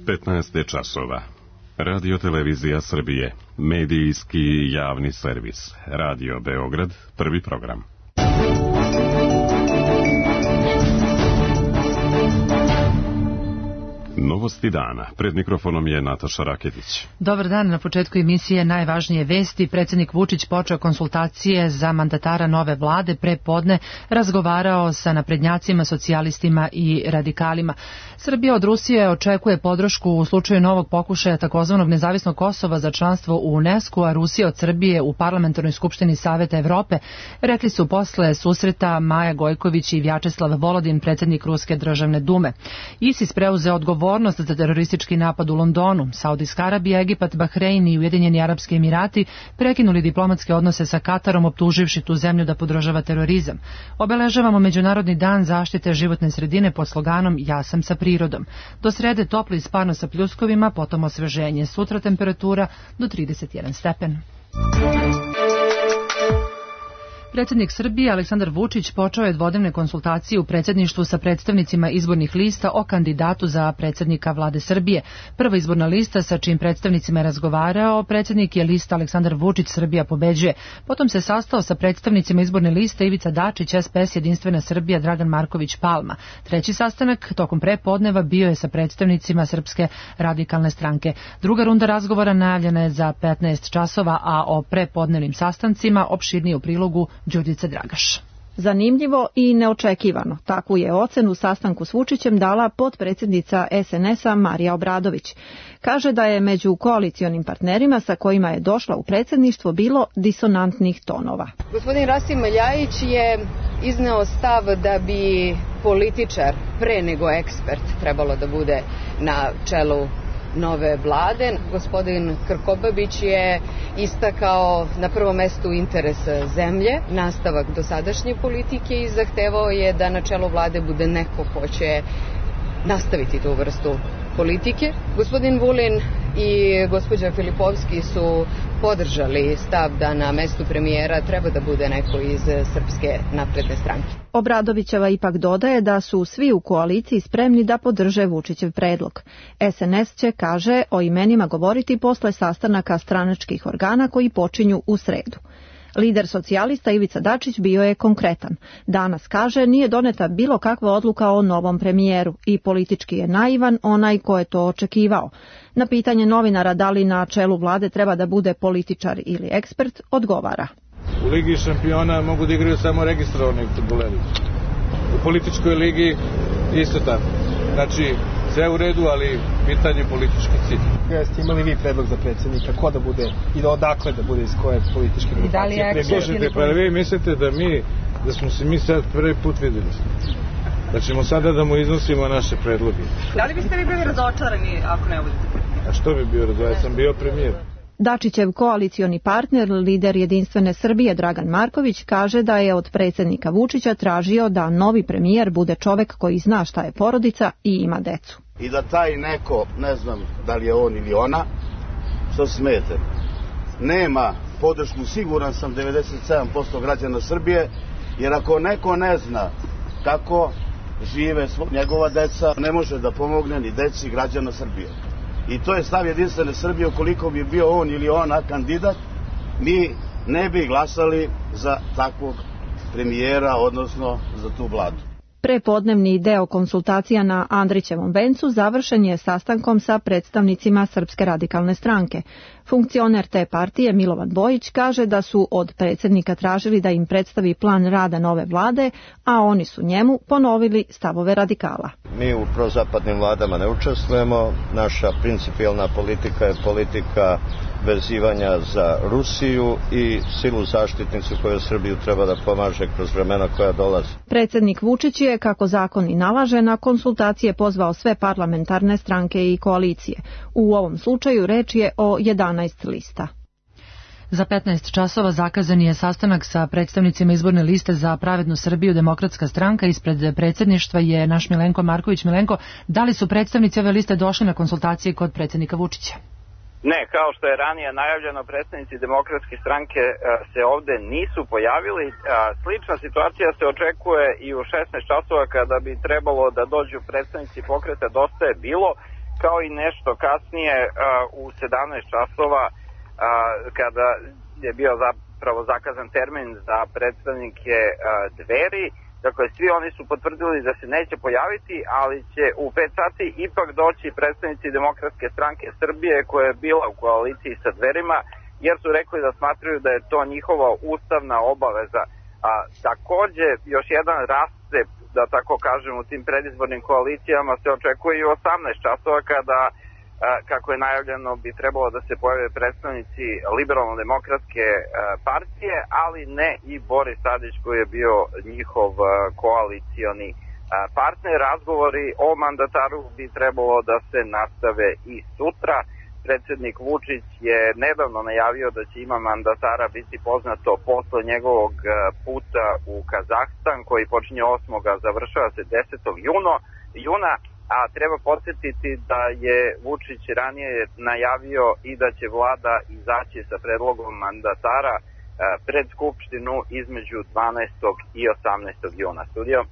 15 je časova. Radio Televizija Srbije, medijski javni servis. Radio Beograd, prvi program. Novosti dana. Pred mikrofonom je Nataša Raketić. Dobar dan. Na početku emisije najvažnije vesti. Predsjednik Vučić počeo konsultacije za mandatara nove vlade. Pre podne razgovarao sa naprednjacima, socijalistima i radikalima. Srbija od Rusije očekuje podršku u slučaju novog pokušaja takozvanog nezavisnog Kosova za članstvo u UNESCO, a Rusija od Srbije u Parlamentarnoj skupštini Saveta Evrope, rekli su posle susreta Maja Gojković i Vjačeslav Volodin, predsjednik Ruske državne dume. ISIS preuzeo odgovornost za teroristički napad u Londonu. Saudijska Arabija, Egipat, Bahrein i Ujedinjeni Arapski Emirati prekinuli diplomatske odnose sa Katarom, optuživši tu zemlju da podržava terorizam. Obeležavamo Međunarodni dan zaštite životne sredine pod sloganom Ja sam sa prirodom. Do srede toplo i sparno sa pljuskovima, potom osveženje. Sutra temperatura do 31 stepen. Predsjednik Srbije Aleksandar Vučić počeo je dvodnevne konsultacije u predsjedništvu sa predstavnicima izbornih lista o kandidatu za predsjednika vlade Srbije. Prva izborna lista sa čijim predstavnicima je razgovarao predsjednik je lista Aleksandar Vučić Srbija pobeđuje. Potom se sastao sa predstavnicima izborne liste Ivica Dačić, SPS Jedinstvena Srbija Dragan Marković Palma. Treći sastanak tokom prepodneva bio je sa predstavnicima Srpske radikalne stranke. Druga runda razgovora najavljena je za 15 časova, a o prepodnevnim sastancima opširnije u prilogu Đurđica Dragaš. Zanimljivo i neočekivano. Takvu je ocenu sastanku s Vučićem dala potpredsjednica SNS-a Marija Obradović. Kaže da je među koalicionim partnerima sa kojima je došla u predsjedništvo bilo disonantnih tonova. Gospodin Rasim Ljajić je izneo stav da bi političar pre nego ekspert trebalo da bude na čelu nove vlade. Gospodin Krkobabić je istakao na prvom mestu interes zemlje, nastavak dosadašnje politike i zahtevao je da na čelu vlade bude neko ko će nastaviti tu vrstu politike. Gospodin Vulin i gospođa Filipovski su podržali stav da na mestu premijera treba da bude neko iz Srpske napredne stranke. Obradovićeva ipak dodaje da su svi u koaliciji spremni da podrže Vučićev predlog. SNS će, kaže, o imenima govoriti posle sastanaka stranačkih organa koji počinju u sredu. Lider socijalista Ivica Dačić bio je konkretan. Danas, kaže, nije doneta bilo kakva odluka o novom premijeru i politički je naivan onaj ko je to očekivao. Na pitanje novinara da li na čelu vlade treba da bude političar ili ekspert, odgovara. U Ligi šampiona mogu da igraju samo registrovani fudbaleri. U političkoj ligi isto tako. Znači, sve u redu, ali pitanje politički cilj. Jeste imali vi predlog za predsjednika, ko da bude i da odakle da bude iz koje političke grupacije? Predložite, pa vi mislite da smo se mi sad prvi put videli. Da ćemo sada da mu iznosimo naše predloge. Da li biste vi bili razočarani ako ne budete premijer? A što bi bio razočaran? Ja sam bio premijer. Dačićev koalicioni partner, lider Jedinstvene Srbije Dragan Marković, kaže da je od predsjednika Vučića tražio da novi premijer bude čovek koji zna šta je porodica i ima decu. I da taj neko, ne znam da li je on ili ona, što smete, nema podršku, siguran sam 97% građana Srbije, jer ako neko ne zna kako žive njegova deca, ne može da pomogne ni deci građana Srbije. I to je stav Jedinstvene Srbije. Ukoliko bi bio on ili ona kandidat, mi ne bi glasali za takvog premijera, odnosno za tu vladu. Prepodnevni deo konsultacija na Andrićevom vencu završen je sastankom sa predstavnicima Srpske radikalne stranke. Funkcioner te partije Milovan Bojić kaže da su od predsjednika tražili da im predstavi plan rada nove vlade, a oni su njemu ponovili stavove radikala. Mi u prozapadnim vladama ne učestvujemo, naša principijelna politika je politika vezivanja za Rusiju i silu zaštitnicu koju Srbiju treba da pomaže kroz vremena koja dolaze. Predsjednik Vučić je, kako zakon i nalaže, na konsultacije pozvao sve parlamentarne stranke i koalicije. U ovom slučaju reč je o 11 lista. Za 15 časova zakazan je sastanak sa predstavnicima izborne liste za Pravednu Srbiju Demokratska stranka. Ispred predsjedništva je naš Milenko Marković. Milenko, da li su predstavnici ove liste došli na konsultacije kod predsjednika Vučića? Ne, kao što je ranije najavljeno, predstavnici Demokratske stranke se ovde nisu pojavili. Slična situacija se očekuje i u 16 časova kada bi trebalo da dođu predstavnici pokreta Dosta je bilo. kao i nešto kasnije u 17 časova kada je bio zapravo zakazan termin za predstavnike Dveri. Dakle, svi oni su potvrdili da se neće pojaviti, ali će u 5 sati ipak doći predstavnici Demokratske stranke Srbije koja je bila u koaliciji sa Dverima, jer su rekli da smatraju da je to njihova ustavna obaveza. Takođe, još jedan rascep, da tako kažem, u tim predizbornim koalicijama se očekuje i u 18 časova kada, kako je najavljeno, bi trebalo da se pojave predstavnici Liberalno-demokratske partije, ali ne i Boris Tadić koji je bio njihov koalicioni partner. Razgovori o mandataru bi trebalo da se nastave i sutra. Predsednik Vučić je nedavno najavio da će ime mandatara biti poznato posle njegovog puta u Kazahstan koji počinje 8. a završava se 10. juna, a treba podsjetiti da je Vučić ranije najavio i da će vlada izaći sa predlogom mandatara pred Skupštinu između 12. i 18. juna. Studio.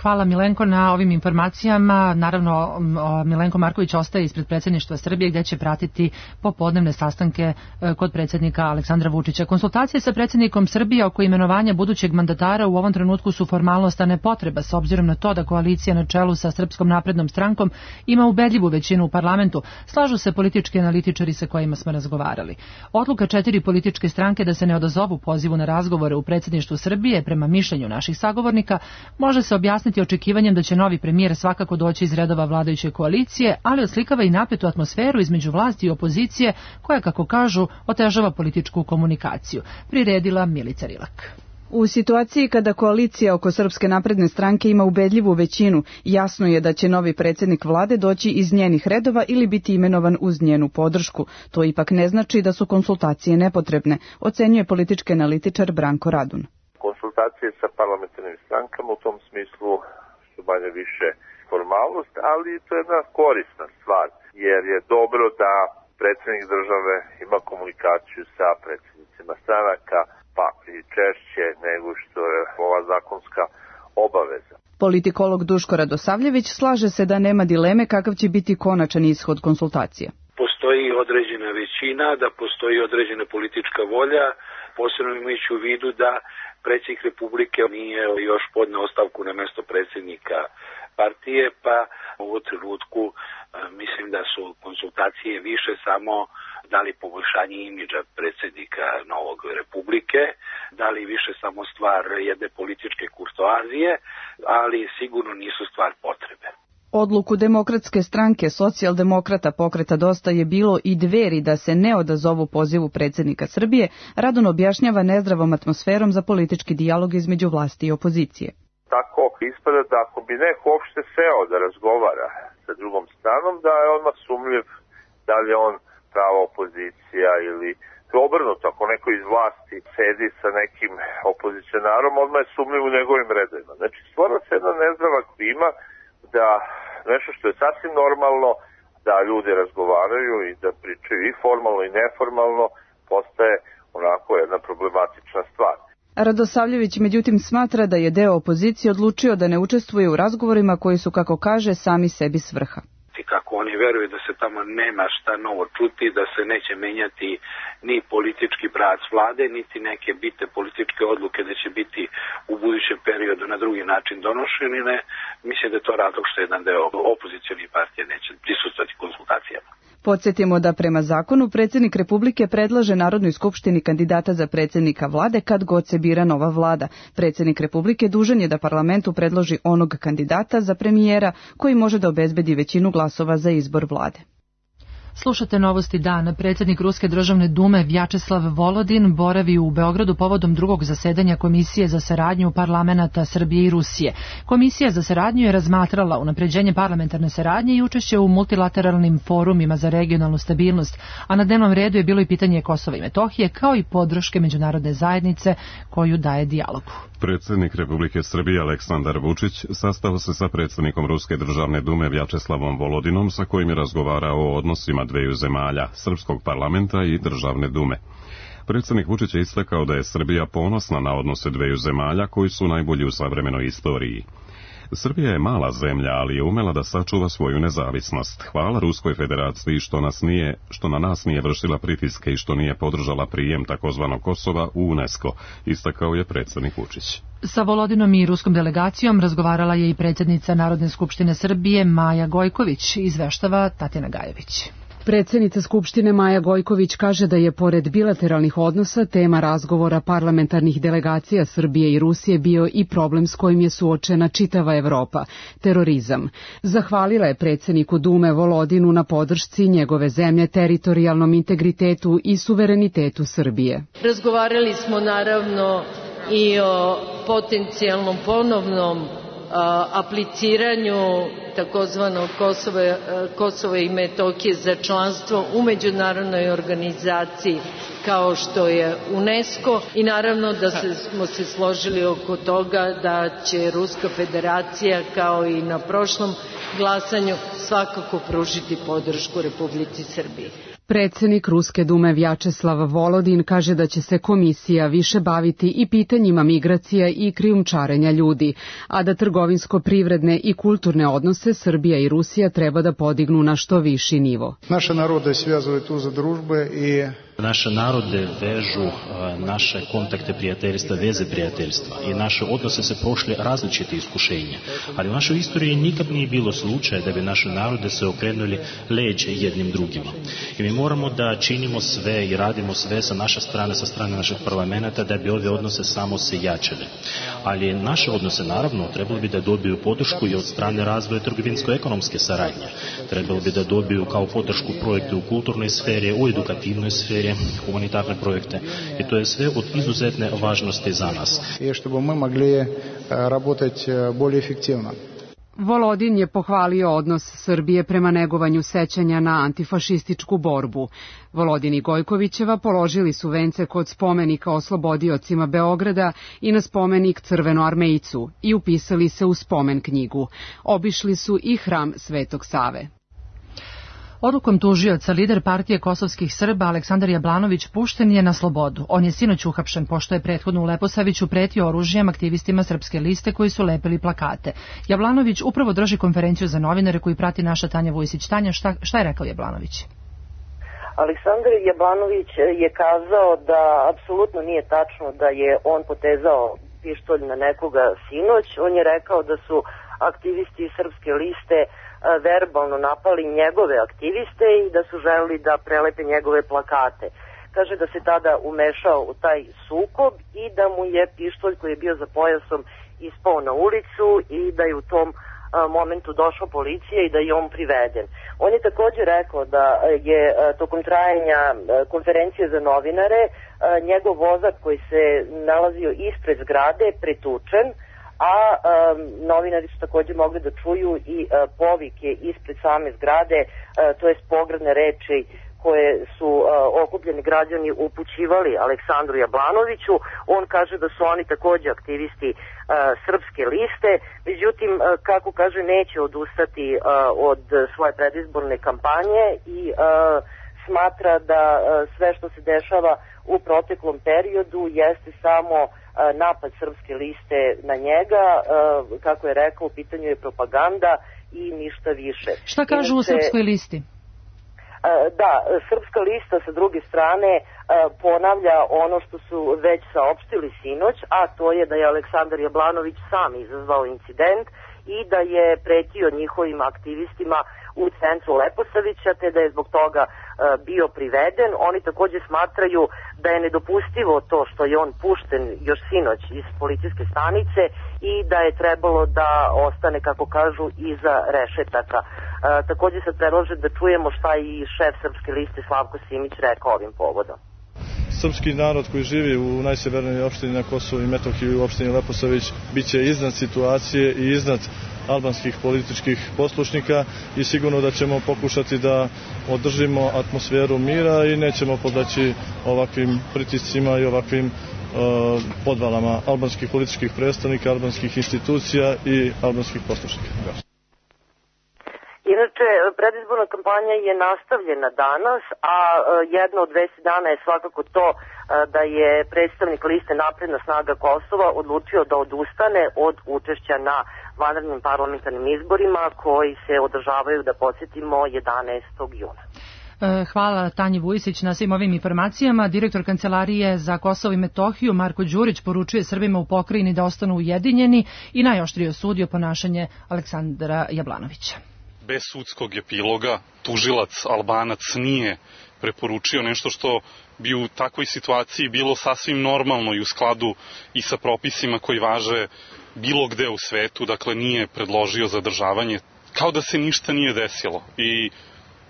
Hvala Milenko na ovim informacijama. Naravno, Milenko Marković ostaje ispred predsjedništva Srbije gdje će pratiti popodnevne sastanke kod predsjednika Aleksandra Vučića. Konsultacije sa predsjednikom Srbije oko imenovanja budućeg mandatara u ovom trenutku su formalnost, a ne potreba, s obzirom na to da koalicija na čelu sa Srpskom naprednom strankom ima ubedljivu većinu u parlamentu. Slažu se politički analitičari sa kojima smo razgovarali. Odluka 4 političke stranke da se ne odazovu pozivu na razgovore u predsjedništvu Srbije, prema mišljenju naših sagovornika, može se objasniti očekivanjem da će novi premijer svakako doći iz redova vladajuće koalicije, ali oslikava i napetu atmosferu između vlasti i opozicije koja, kako kažu, otežava političku komunikaciju. Priredila Milica Rilak. U situaciji kada koalicija oko Srpske napredne stranke ima ubedljivu većinu, jasno je da će novi predsjednik vlade doći iz njenih redova ili biti imenovan uz njenu podršku. To ipak ne znači da su konsultacije nepotrebne, ocenjuje politički analitičar Branko Radun. Konsultacije sa parlamentarnim strankama u tom smislu su manje više formalnost, ali to je jedna korisna stvar, jer je dobro da predsjednik države ima komunikaciju sa predsjednicima stranaka, pa i češće nego što je ova zakonska obaveza. Politikolog Duško Radosavljević slaže se da nema dileme kakav će biti konačan ishod konsultacija. Postoji određena većina, da postoji određena politička volja, posebno imajući u vidu da predsjednik Republike nije još podneo ostavku na mesto predsjednika partije, pa u ovom trenutku mislim da su konsultacije više samo da li poboljšanje imidža predsjednika novog Republike, da li više samo stvar jedne političke kurtoazije, ali sigurno nisu stvar potrebe. Odluku Demokratske stranke, Socijaldemokrata, Pokreta Dosta je bilo i Dveri da se ne odazovu pozivu predsjednika Srbije, Radon objašnjava nezdravom atmosferom za politički dijalog između vlasti i opozicije. Tako ispada da ako bi neko uopšte seo da razgovara sa drugom stranom, da je odmah sumljiv da li je on prava opozicija ili obrnuto, ako neko iz vlasti sedi sa nekim opozicionarom, odmah je sumljiv u njegovim redovima. Znači, stvara se jedna nezdrava klima da nešto što je sasvim normalno, da ljudi razgovaraju i da pričaju i formalno i neformalno, postaje onako jedna problematična stvar. Radosavljević međutim smatra da je deo opozicije odlučio da ne učestvuje u razgovorima koji su, kako kaže, sami sebi svrha. Kako oni veruju da se tamo nema šta novo čuti, da se neće menjati ni politički pravac vlade, niti neke bitne političke odluke da će biti u budućem periodu na drugi način donošene. Mislim da je to razlog što jedan deo opozicionih partija neće prisustvovati konsultacijama. Podsjetimo da prema zakonu predsjednik Republike predlaže Narodnoj skupštini kandidata za predsjednika vlade kad god se bira nova vlada. Predsjednik Republike dužan je da parlamentu predloži onog kandidata za premijera koji može da obezbedi većinu glasova za izbor vlade. Slušate novosti dana. Predsjednik Ruske državne dume Vjačeslav Volodin boravi u Beogradu povodom drugog zasedanja Komisije za saradnju parlamenata Srbije i Rusije. Komisija za saradnju je razmatrala unapređenje parlamentarne saradnje i učešće u multilateralnim forumima za regionalnu stabilnost, a na dnevnom redu je bilo i pitanje Kosova i Metohije, kao i podrške međunarodne zajednice koju daje dijalogu. Predsjednik Republike Srbije Aleksandar Vučić sastao se sa predsjednikom Ruske državne dume Vjačeslavom Volodinom, sa kojim je razgovarao o odnosima dveju zemalja, Srpskog parlamenta i državne dume. Predsjednik Vučić je istakao da je Srbija ponosna na odnose dveju zemalja koji su najbolji u savremenoj istoriji. Srbija je mala zemlja, ali je umela da sačuva svoju nezavisnost. Hvala Ruskoj federaciji što na nas nije vršila pritiske i što nije podržala prijem takozvanog Kosova u UNESCO, istakao je predsjednik Vučić. Sa Volodinom i ruskom delegacijom razgovarala je i predsjednica Narodne skupštine Srbije Maja Gojković, izveštava Tatjana Gajević. Predsjednica Skupštine Maja Gojković kaže da je pored bilateralnih odnosa tema razgovora parlamentarnih delegacija Srbije i Rusije bio i problem s kojim je suočena čitava Evropa, terorizam. Zahvalila je predsjedniku Dume Volodinu na podršci njegove zemlje teritorijalnom integritetu i suverenitetu Srbije. Razgovarali smo naravno i o potencijalnom ponovnom apliciranju takozvanog Kosova i Metohije za članstvo u međunarodnoj organizaciji kao što je UNESCO i naravno da smo se složili oko toga da će Ruska federacija kao i na prošlom glasanju svakako pružiti podršku Republici Srbiji. Predsjednik Ruske dume Vjačeslav Volodin kaže da će se komisija više baviti i pitanjima migracija i krijumčarenja ljudi, a da trgovinsko-privredne i kulturne odnose Srbija i Rusija treba da podignu na što viši nivo. Naše narode svijazuju tu za družbe i Naše narode vežu naše kontakte prijateljstva, veze prijateljstva i naše odnose se prošle različite iskušenja. Ali u našoj istoriji nikad nije bilo slučaja da bi naše narode se okrenuli leđe jednim drugima. I mi moramo da činimo sve i radimo sve sa naše strane, sa strane naših parlamenta da bi ove odnose samo se jačali. Ali naše odnose naravno trebalo bi da dobiju podršku i od strane razvoja trgovinsko-ekonomske saradnje. Trebalo bi da dobiju kao podršku projekte u kulturnoj sferi, u edukativnoj sferi, humanitarne projekte i to je sve od izuzetne važnosti za nas. I što bi mi mogli raditi bolje efektivno. Volodin je pohvalio odnos Srbije prema negovanju sećanja na antifašističku borbu. Volodin i Gojkovićeva položili su vence kod spomenika oslobodiocima Beograda i na spomenik Crvenoarmejcu i upisali se u spomen knjigu. Obišli su i hram Svetog Save. Odlukom tužioca lider partije kosovskih Srba Aleksandar Jablanović pušten je na slobodu. On je sinoć uhapšen pošto je prethodno u Leposaviću pretio oružjem aktivistima Srpske liste koji su lepili plakate. Jablanović upravo drži konferenciju za novinare koji prati naša Tanja Vujsić. Tanja, šta je rekao Jablanović? Aleksandar Jablanović je kazao da apsolutno nije tačno da je on potezao pištolj na nekoga sinoć. On je rekao da su aktivisti Srpske liste verbalno napali njegove aktiviste i da su želeli da prelepe njegove plakate. Kaže da se tada umešao u taj sukob i da mu je pištolj koji je bio za pojasom ispao na ulicu i da je u tom momentu došla policija i da je on priveden. On je također rekao da je tokom trajanja konferencije za novinare njegov vozač koji se nalazio ispred zgrade pretučen, a novinari su također mogli da čuju i povike ispred same zgrade, to jest pogrdne reči koje su okupljeni građani upućivali Aleksandru Jablanoviću. On kaže da su oni također aktivisti Srpske liste, međutim, kako kaže, neće odustati od svoje predizborne kampanje i smatra da sve što se dešava u proteklom periodu jeste samo napad Srpske liste na njega, kako je rekao, u pitanju je propaganda i ništa više. Šta kažu u Srpskoj listi? Da, Srpska lista sa druge strane ponavlja ono što su već saopštili sinoć, a to je da je Aleksandar Jablanović sam izazvao incident i da je pretio njihovim aktivistima u centru Leposavića, te da je zbog toga bio priveden. Oni također smatraju da je nedopustivo to što je on pušten još sinoć iz policijske stanice i da je trebalo da ostane, kako kažu, iza rešetaka. Također se predlaže da čujemo šta i šef Srpske liste Slavko Simić rekao ovim povodom. Srpski narod koji živi u najsjevernijoj opštini na Kosovu i Metohiji, u opštini Leposavić, bit će iznad situacije i iznad albanskih političkih poslušnika i sigurno da ćemo pokušati da održimo atmosferu mira i nećemo podleći ovakvim pritiscima i ovakvim podvalama albanskih političkih predstavnika, albanskih institucija i albanskih poslušnika. Inače, predizborna kampanja je nastavljena danas, a jedna od 10 dana je svakako to da je predstavnik liste Napredna snaga Kosova odlučio da odustane od učešća na vanrednim parlamentarnim izborima koji se održavaju, da podsjetimo, 11. juna. Hvala Tanji Vujisić na svim ovim informacijama. Direktor Kancelarije za Kosovo i Metohiju Marko Đurić poručuje Srbima u pokrajini da ostanu ujedinjeni i najoštrije osudio ponašanje Aleksandra Jablanovića. Bez sudskog epiloga tužilac Albanac nije preporučio nešto što bi u takvoj situaciji bilo sasvim normalno i u skladu i sa propisima koji važe bilo gde u svetu, dakle nije predložio zadržavanje, kao da se ništa nije desilo. I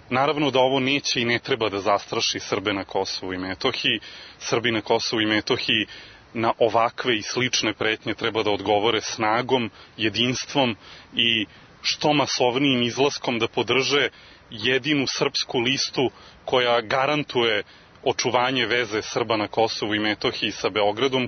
naravno da ovo neće i ne treba da zastraši Srbe na Kosovu i Metohiji. Srbi na Kosovu i Metohiji na ovakve i slične pretnje treba da odgovore snagom, jedinstvom i što masovnijim izlaskom da podrže jedinu srpsku listu koja garantuje očuvanje veze Srba na Kosovu i Metohiji sa Beogradom.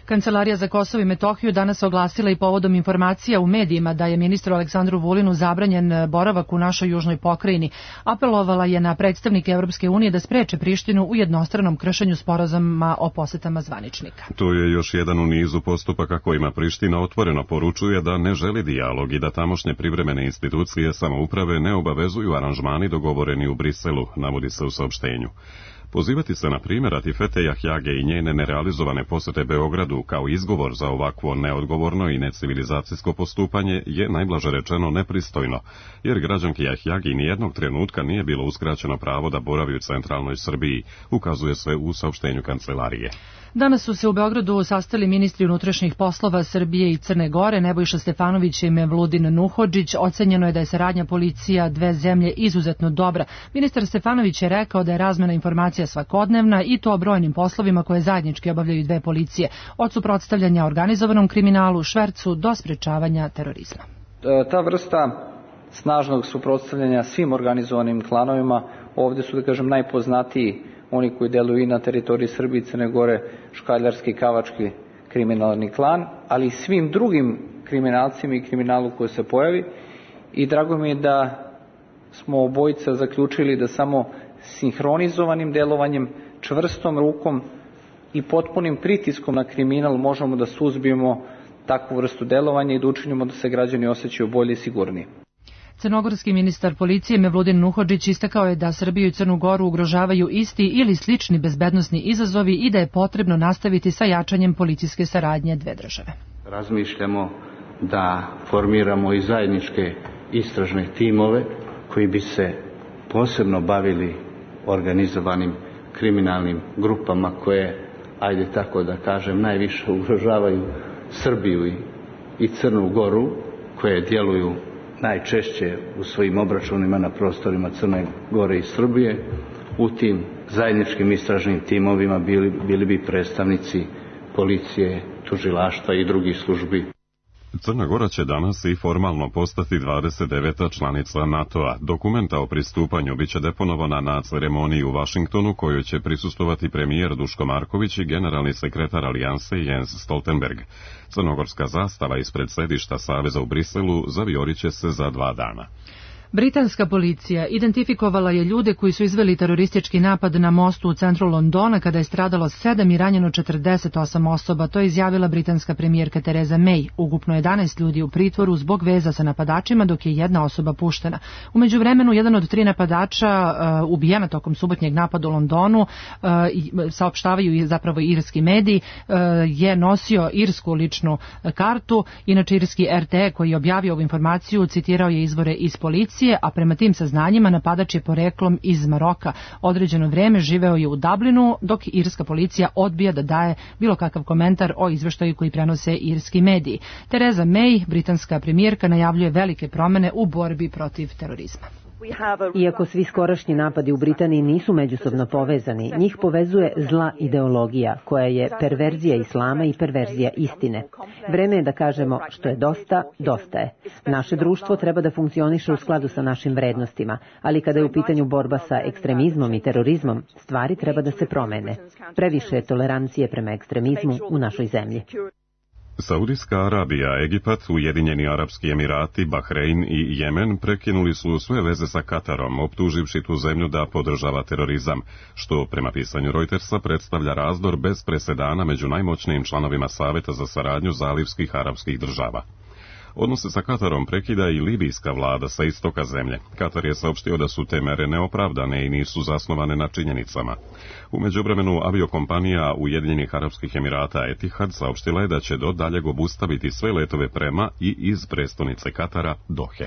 Kancelarija za Kosovo i Metohiju danas oglasila i povodom informacija u medijima da je ministru Aleksandru Vulinu zabranjen boravak u našoj južnoj pokrajini. Apelovala je na predstavnike Evropske unije da spreče Prištinu u jednostranom kršenju sporazuma o posetama zvaničnika. To je još jedan u nizu postupaka kojima Priština otvoreno poručuje da ne želi dijalog i da tamošnje privremene institucije samouprave ne obavezuju aranžmani dogovoreni u Briselu, navodi se u saopštenju. Pozivati se na primjer Atifete Jahjage i njene nerealizovane posete Beogradu kao izgovor za ovakvo neodgovorno i necivilizacijsko postupanje je najblaže rečeno nepristojno, jer građanki Jahjagi nijednog trenutka nije bilo uskraćeno pravo da boravi u centralnoj Srbiji, ukazuje se u saopštenju kancelarije. Danas su se u Beogradu sastali ministri unutrašnjih poslova Srbije i Crne Gore, Nebojša Stefanović i Mevludin Nuhodžić. Ocenjeno je da je saradnja policija dve zemlje izuzetno dobra. Ministar Stefanović je rekao da je razmena informacija svakodnevna i to o brojnim poslovima koje zajednički obavljaju dve policije, od suprotstavljanja organizovanom kriminalu, švercu do sprečavanja terorizma. Ta vrsta snažnog suprotstavljanja svim organizovanim klanovima, ovdje su, da kažem, najpoznatiji oni koji deluju i na teritoriji Srbije i Crne Gore, škaljarski i kavački kriminalni klan, ali i svim drugim kriminalcima i kriminalu koji se pojavi. I drago mi je da smo obojica zaključili da samo sinhronizovanim delovanjem, čvrstom rukom i potpunim pritiskom na kriminal možemo da suzbijemo takvu vrstu delovanja i da učinimo da se građani osjećaju bolje i sigurnije. Crnogorski ministar policije Mevludin Nuhodžić istakao je da Srbiju i Crnu Goru ugrožavaju isti ili slični bezbednosni izazovi i da je potrebno nastaviti sa jačanjem policijske saradnje dve države. Razmišljamo da formiramo i zajedničke istražne timove koji bi se posebno bavili organizovanim kriminalnim grupama koje, ajde tako da kažem, najviše ugrožavaju Srbiju i Crnu Goru, koje djeluju najčešće u svojim obračunima na prostorima Crne Gore i Srbije. U tim zajedničkim istražnim timovima bili bi predstavnici policije, tužilaštva i drugih službi. Crna Gora će danas i formalno postati 29. članica NATO-a. Dokumenta o pristupanju biće deponovana na ceremoniji u Vašingtonu, kojoj će prisustovati premijer Duško Marković i generalni sekretar Alijanse Jens Stoltenberg. Crnogorska zastava ispred sedišta Saveza u Briselu zaviorit će se za 2 dana. Britanska policija identifikovala je ljude koji su izveli teroristički napad na mostu u centru Londona kada je stradalo 7 i ranjeno 48 osoba. To je izjavila britanska premijerka Theresa May. Ukupno 11 ljudi u pritvoru zbog veza sa napadačima, dok je 1 osoba puštena. U međuvremenu, jedan od 3 napadača ubijena tokom subotnjeg napada u Londonu, saopštavaju zapravo irski mediji, je nosio irsku ličnu kartu. Inače, irski RTE koji je objavio ovu informaciju citirao je izvore iz policije, a prema tim saznanjima napadač je poreklom iz Maroka. Određeno vreme živeo je u Dublinu, dok irska policija odbija da daje bilo kakav komentar o izveštaju koji prenose irski mediji. Theresa May, britanska premijerka, najavljuje velike promene u borbi protiv terorizma. Iako svi skorašnji napadi u Britaniji nisu međusobno povezani, njih povezuje zla ideologija, koja je perverzija islama i perverzija istine. Vreme je da kažemo što je dosta, dosta je. Naše društvo treba da funkcioniše u skladu sa našim vrednostima, ali kada je u pitanju borba sa ekstremizmom i terorizmom, stvari treba da se promene. Previše je tolerancije prema ekstremizmu u našoj zemlji. Saudijska Arabija, Egipat, Ujedinjeni Arapski Emirati, Bahrein i Jemen prekinuli su sve veze sa Katarom, optuživši tu zemlju da podržava terorizam, što prema pisanju Reutersa predstavlja razdor bez presedana među najmoćnijim članovima Saveta za saradnju zalivskih arapskih država. Odnose sa Katarom prekida i libijska vlada sa istoka zemlje. Katar je saopštio da su te mere neopravdane i nisu zasnovane na činjenicama. U međuvremenu aviokompanija Ujedinjenih Arapskih Emirata Etihad saopštila je da će do daljeg obustaviti sve letove prema i iz prestonice Katara Dohe.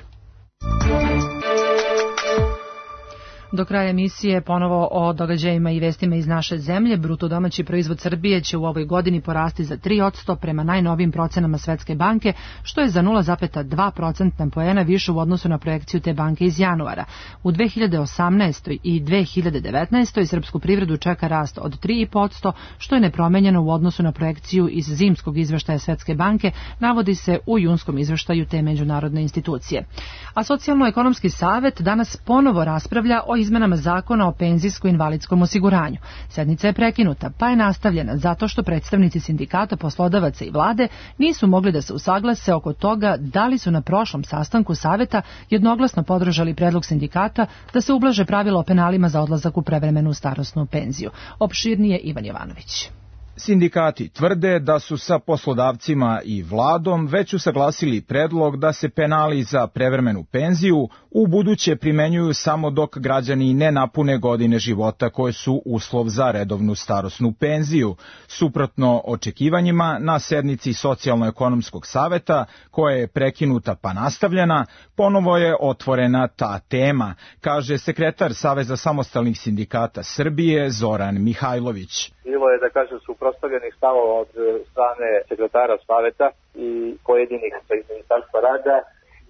Do kraja emisije ponovo o događajima i vestima iz naše zemlje. Bruto domaći proizvod Srbije će u ovoj godini porasti za 3% prema najnovijim procenama Svetske banke, što je za 0,2% poena više u odnosu na projekciju te banke iz januara. U 2018. i 2019. srpsku privredu čeka rast od 3,5%, što je nepromenjeno u odnosu na projekciju iz zimskog izveštaja Svetske banke, navodi se u junskom izveštaju te međunarodne institucije. A Socijalno-ekonomski savet danas ponovo raspravlja o izmenama zakona o penzijsko-invalidskom osiguranju. Sednica je prekinuta, pa je nastavljena zato što predstavnici sindikata, poslodavaca i vlade nisu mogli da se usaglase oko toga da li su na prošlom sastanku saveta jednoglasno podržali predlog sindikata da se ublaže pravila o penalima za odlazak u prevremenu starosnu penziju. Opširnije Ivan Jovanović. Sindikati tvrde da su sa poslodavcima i vladom već usaglasili predlog da se penali za prevremenu penziju u buduće primenjuju samo dok građani ne napune godine života koje su uslov za redovnu starosnu penziju. Suprotno očekivanjima, na sednici Socijalno-ekonomskog saveta, koja je prekinuta pa nastavljena, ponovo je otvorena ta tema, kaže sekretar Saveza samostalnih sindikata Srbije Zoran Mihajlović. Bilo je, da kažem, suprotstavljenih stavova od strane sekretara saveta i pojedinih iz Ministarstva rada.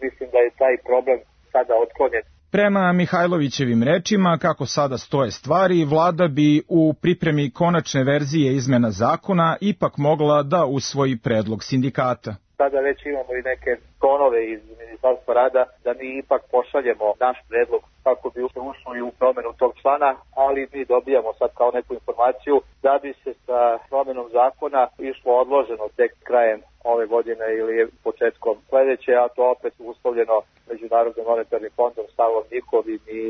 Mislim da je taj problem sada otklonjen. Prema Mihajlovićevim rečima, kako sada stoje stvari, vlada bi u pripremi konačne verzije izmena zakona ipak mogla da usvoji predlog sindikata. Sada već imamo i neke tonove iz Ministarstva rada da mi ipak pošaljemo naš predlog kako bi se ušli u promenu tog člana, ali mi dobijamo sad kao neku informaciju da bi se sa promenom zakona išlo odloženo tek krajem ove godine ili početkom sledeće, a to opet uslovljeno Međunarodnim monetarnim fondom, stavom njihovim i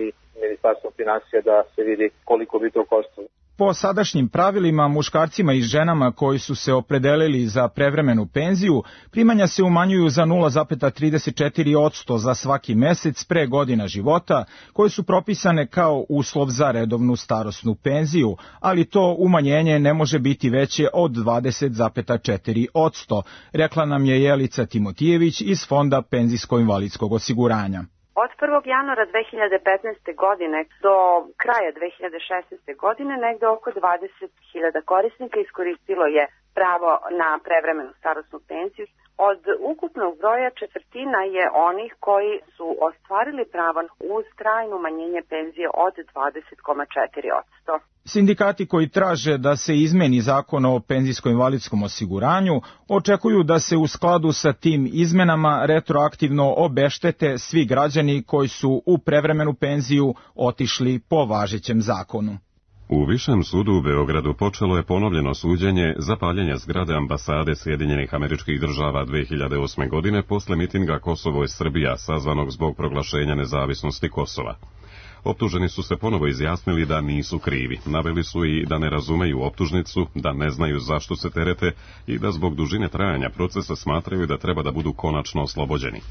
Ministarstvom finansija da se vidi koliko bi to koštalo. Po sadašnjim pravilima, muškarcima i ženama koji su se opredelili za prevremenu penziju, primanja se umanjuju za 0,34% za svaki mesec pre godina života, koje su propisane kao uslov za redovnu starosnu penziju, ali to umanjenje ne može biti veće od 20,4%, rekla nam je Jelica Timotijević iz Fonda penzijsko-invalidskog osiguranja. Od 1. januara 2015. godine do kraja 2016. godine negde oko 20.000 korisnika iskoristilo je pravo na prevremenu starosnu penziju. Od ukupnog broja četvrtina je onih koji su ostvarili pravo uz trajno umanjenje penzije od 20,4%. Sindikati koji traže da se izmeni zakon o penzijsko-invalidskom osiguranju očekuju da se u skladu sa tim izmenama retroaktivno obeštete svi građani koji su u prevremenu penziju otišli po važećem zakonu. U Višem sudu u Beogradu počelo je ponovljeno suđenje za paljenje zgrade ambasade Sjedinjenih Američkih Država 2008. godine posle mitinga Kosovo je Srbija, sazvanog zbog proglašenja nezavisnosti Kosova. Optuženi su se ponovo izjasnili da nisu krivi. Naveli su i da ne razumeju optužnicu, da ne znaju zašto se terete i da zbog dužine trajanja procesa smatraju da treba da budu konačno oslobođeni.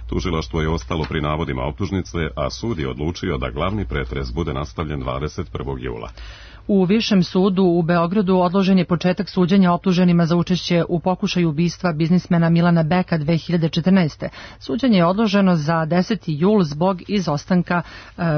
Tužilaštvo je ostalo pri navodima optužnice, a sud je odlučio da glavni pretres bude nastavljen 21. jula. U Višem sudu u Beogradu odložen je početak suđenja optuženima za učešće u pokušaju ubistva biznismena Milana Beka 2014. Suđenje je odloženo za 10. jul zbog izostanka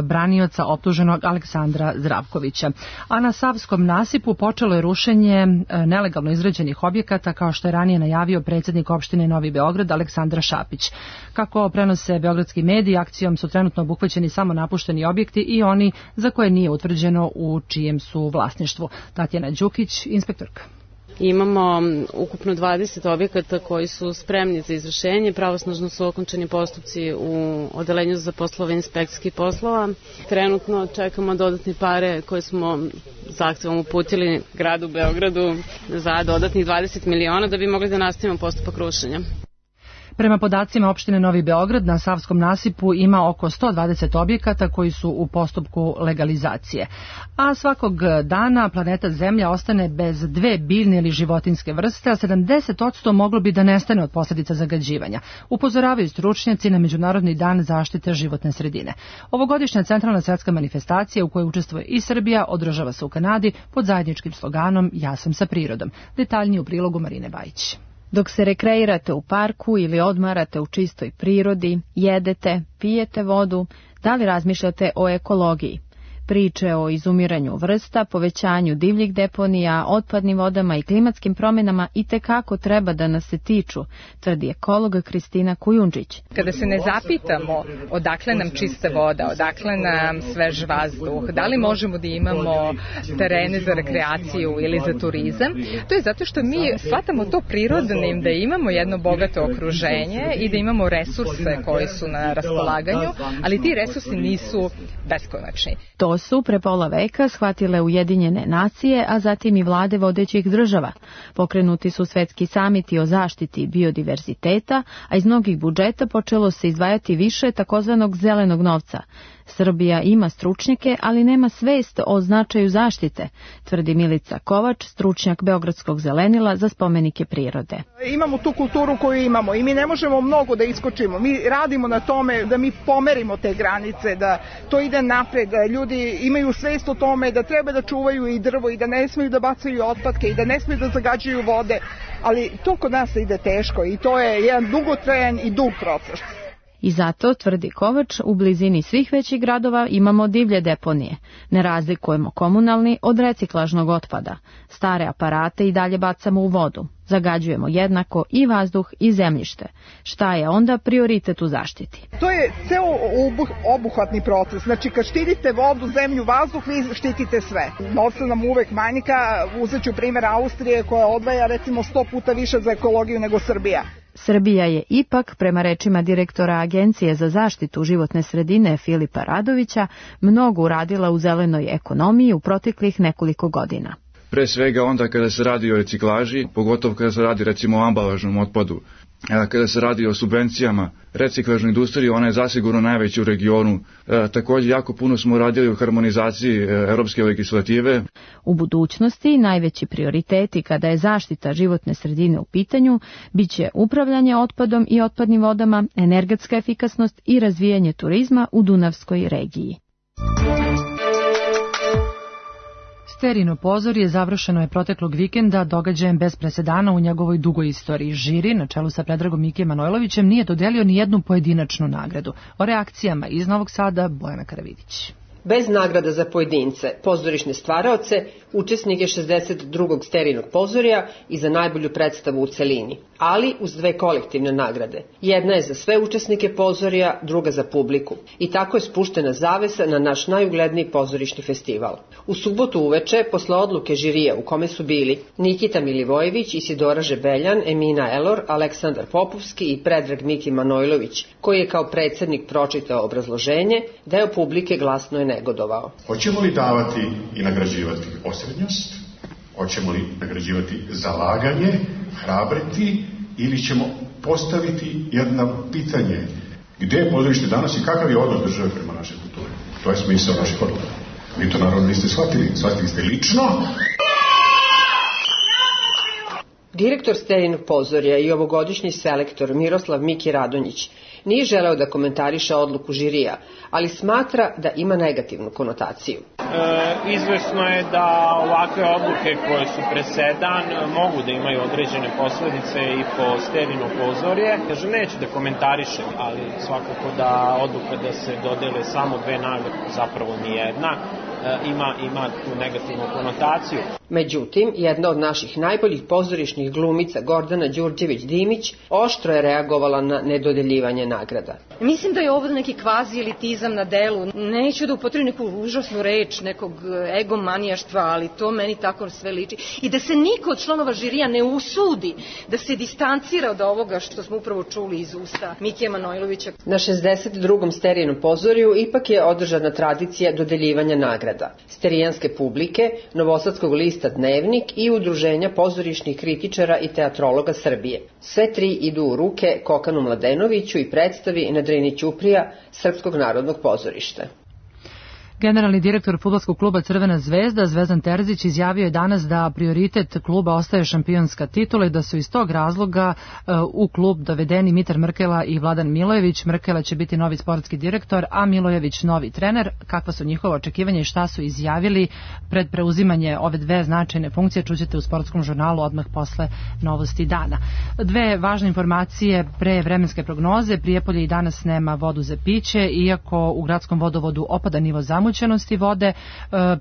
branioca optuženog Aleksandra Zdravkovića. A na Savskom nasipu počelo je rušenje nelegalno izgrađenih objekata, kao što je ranije najavio predsjednik opštine Novi Beograd Aleksandar Šapić. Kako prenose beogradski mediji, akcijom su trenutno obuhvaćeni samo napušteni objekti i oni za koje nije utvrđeno u čijem su vlasništvu. Tatjana Đukić, inspektorka. Imamo ukupno 20 objekata koji su spremni za izvršenje. Pravosnažno su okončani postupci u odelenju za poslove inspekcijskih poslova. Trenutno čekamo dodatne pare koje smo zahtevom uputili gradu Beogradu za dodatnih 20 miliona da bi mogli da nastavimo postupak rušenja. Prema podacima opštine Novi Beograd, na Savskom nasipu ima oko 120 objekata koji su u postupku legalizacije. A svakog dana planeta Zemlja ostane bez 2 biljne ili životinjske vrste, a 70% moglo bi da nestane od posljedica zagađivanja. Upozoravaju stručnjaci na Međunarodni dan zaštite životne sredine. Ovogodišnja centralna svetska manifestacija u kojoj učestvuje i Srbija održava se u Kanadi pod zajedničkim sloganom Ja sam sa prirodom. Detaljnije u prilogu Marine Bajić. Dok se rekreirate u parku ili odmarate u čistoj prirodi, jedete, pijete vodu, da li razmišljate o ekologiji? Priče o izumiranju vrsta, povećanju divljih deponija, otpadnim vodama i klimatskim promjenama itekako treba da nas se tiču, tvrdi ekologa Kristina Kujundžić. Kada se ne zapitamo odakle nam čista voda, odakle nam svež vazduh, da li možemo da imamo terene za rekreaciju ili za turizam, to je zato što mi shvatamo to prirodnim, da imamo jedno bogato okruženje i da imamo resurse koji su na raspolaganju, ali ti resursi nisu beskonačni. To su pre pola veka shvatile Ujedinjene nacije, a zatim i vlade vodećih država. Pokrenuti su svetski samiti o zaštiti biodiverziteta, a iz mnogih budžeta počelo se izdvajati više takozvanog zelenog novca. Srbija ima stručnjake, ali nema svest o značaju zaštite, tvrdi Milica Kovač, stručnjak Beogradskog zelenila za spomenike prirode. Imamo tu kulturu koju imamo i mi ne možemo mnogo da iskočimo. Mi radimo na tome da mi pomerimo te granice, da to ide napred, da ljudi imaju svest o tome da treba da čuvaju i drvo i da ne smeju da bacaju otpadke i da ne smeju da zagađuju vode, ali to kod nas ide teško i to je jedan dugotrajan i dug proces. I zato, tvrdi Kovač, u blizini svih većih gradova imamo divlje deponije. Ne razlikujemo komunalni od reciklažnog otpada. Stare aparate i dalje bacamo u vodu. Zagađujemo jednako i vazduh i zemljište. Šta je onda prioritet u zaštiti? To je ceo obuhvatni proces. Znači, kad štitite vodu, zemlju, vazduh, vi štitite sve. Novca nam uvek manjka. Uzet ću primjer Austrije koja odvaja recimo 100 puta više za ekologiju nego Srbija. Srbija je ipak, prema rečima direktora Agencije za zaštitu životne sredine Filipa Radovića, mnogo uradila u zelenoj ekonomiji u proteklih nekoliko godina. Pre svega onda kada se radi o reciklaži, pogotovo kada se radi recimo o ambalažnom otpadu, kada se radi o subvencijama reciklažnoj industriji, ona je zasigurno najveća u regionu. Također jako puno smo radili u harmonizaciji europske legislative. U budućnosti najveći prioriteti kada je zaštita životne sredine u pitanju biće upravljanje otpadom i otpadnim vodama, energetska efikasnost i razvijanje turizma u Dunavskoj regiji. Sterino pozorje završeno je proteklog vikenda događajem bez presedana u njegovoj dugoj istoriji. Žiri, na čelu sa Predragom Mike Manojlovićem, nije dodelio ni jednu pojedinačnu nagradu. O reakcijama iz Novog Sada Bojana Karavidić. Bez nagrada za pojedince, pozorišne stvaraoce, učesnike 62. Sterinog pozorja i za najbolju predstavu u celini, ali uz 2 kolektivne nagrade. Jedna je za sve učesnike pozorja, druga za publiku. I tako je spuštena zavesa na naš najugledniji pozorišni festival. U subotu uveče, posle odluke žirija u kome su bili Nikita Milivojević, Isidora Žebeljan, Emina Elor, Aleksandar Popovski i Predrag Miki Manojlović, koji je kao predsednik pročitao obrazloženje, deo publike glasno je negodovao. Hoćemo li davati i nagrađivati osrednjost? Hoćemo li nagrađivati zalaganje, hrabriti, ili ćemo postaviti jedno pitanje? Gde je pozorište danas i kakav je odnos države prema našoj kulturi? To je smisao naših odluka. Vi to naravno niste shvatili ste lično. Direktor Sterinog pozorja i ovogodišnji selektor Miroslav Miki Radonjić nije želeo da komentariše odluku žirija, ali smatra da ima negativnu konotaciju. Izvesno je da ovakve odluke koje su presedan mogu da imaju određene posledice i po Sterino pozorje. Neću da komentarišem, ali svakako da odluka da se dodele samo 2 nagrade, zapravo nijedna, ima tu negativnu konotaciju. Međutim, jedna od naših najboljih pozorišnih glumica, Gordana Đurđević-Dimić, oštro je reagovala na nedodeljivanje nagrada. Mislim da je ovo neki kvazi elitizam na delu. Neću da upotrebim neku užasnu reč, nekog egomanijaštva, ali to meni tako sve liči. I da se niko od članova žirija ne usudi da se distancira od ovoga što smo upravo čuli iz usta Mikija Manojlovića. Na 62. Sterinom pozorju ipak je održana tradicija dodeljivanja nagrada. Beograda, Sterijanske publike, Novosadskog lista Dnevnik i Udruženja pozorišnih kritičara i teatrologa Srbije. Sve tri idu u ruke Kokanu Mladenoviću i predstavi na Drini Ćuprija Srpskog narodnog pozorišta. Generalni direktor fudbalskog kluba Crvena zvezda, Zvezdan Terzić, izjavio je danas da prioritet kluba ostaje šampionska titula i da su iz tog razloga u klub dovedeni Mitar Mrkela i Vladan Milojević. Mrkela će biti novi sportski direktor, a Milojević novi trener. Kakva su njihova očekivanja i šta su izjavili pred preuzimanje ove dve značajne funkcije, čućete u sportskom žurnalu odmah posle novosti dana. Dve važne informacije pre vremenske prognoze. Prijepolje i danas nema vodu za piće, iako u gradskom vodovodu opada nivo zamućenosti vode.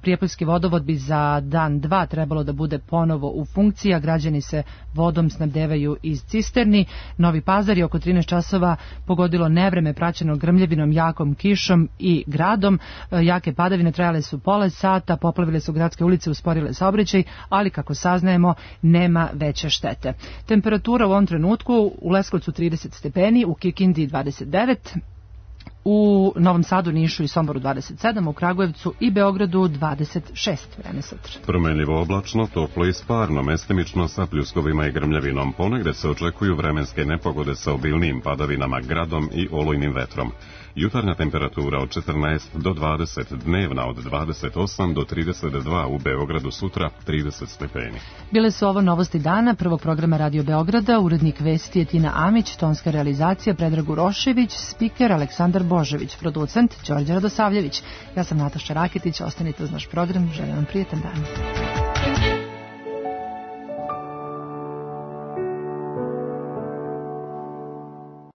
Prijepoljski vodovod bi za dan, dva trebalo da bude ponovo u funkciji, a građani se vodom snabdevaju iz cisterni. Novi Pazar je oko 13 časova pogodilo nevreme praćeno grmljavinom, jakom kišom i gradom. Jake padavine trajale su pola sata, poplavile su gradske ulice, usporile saobraćaj, ali kako saznajemo nema veće štete. Temperatura u ovom trenutku u Leskovcu 30 stepeni, u Kikindi 29, u Novom Sadu, Nišu i Somboru 27, u Kragujevcu i Beogradu 26. Vreme sutra. Promenljivo oblačno, toplo i sparno, mestimično sa pljuskovima i grmljavinom. Ponegde se očekuju vremenske nepogode sa obilnim padavinama, gradom i olujnim vetrom. Jutarnja temperatura od 14 do 20, dnevna od 28 do 32, u Beogradu sutra 30 stepeni. Bile su ovo novosti dana prvog programa Radio Beograda, urednik vesti je Tina Amić, tonska realizacija Predrag Urošević, spiker Aleksandar Božević, producent Đorđe Radosavljević. Ja sam Nataša Raketić, ostanite uz naš program, želim vam prijetan dan.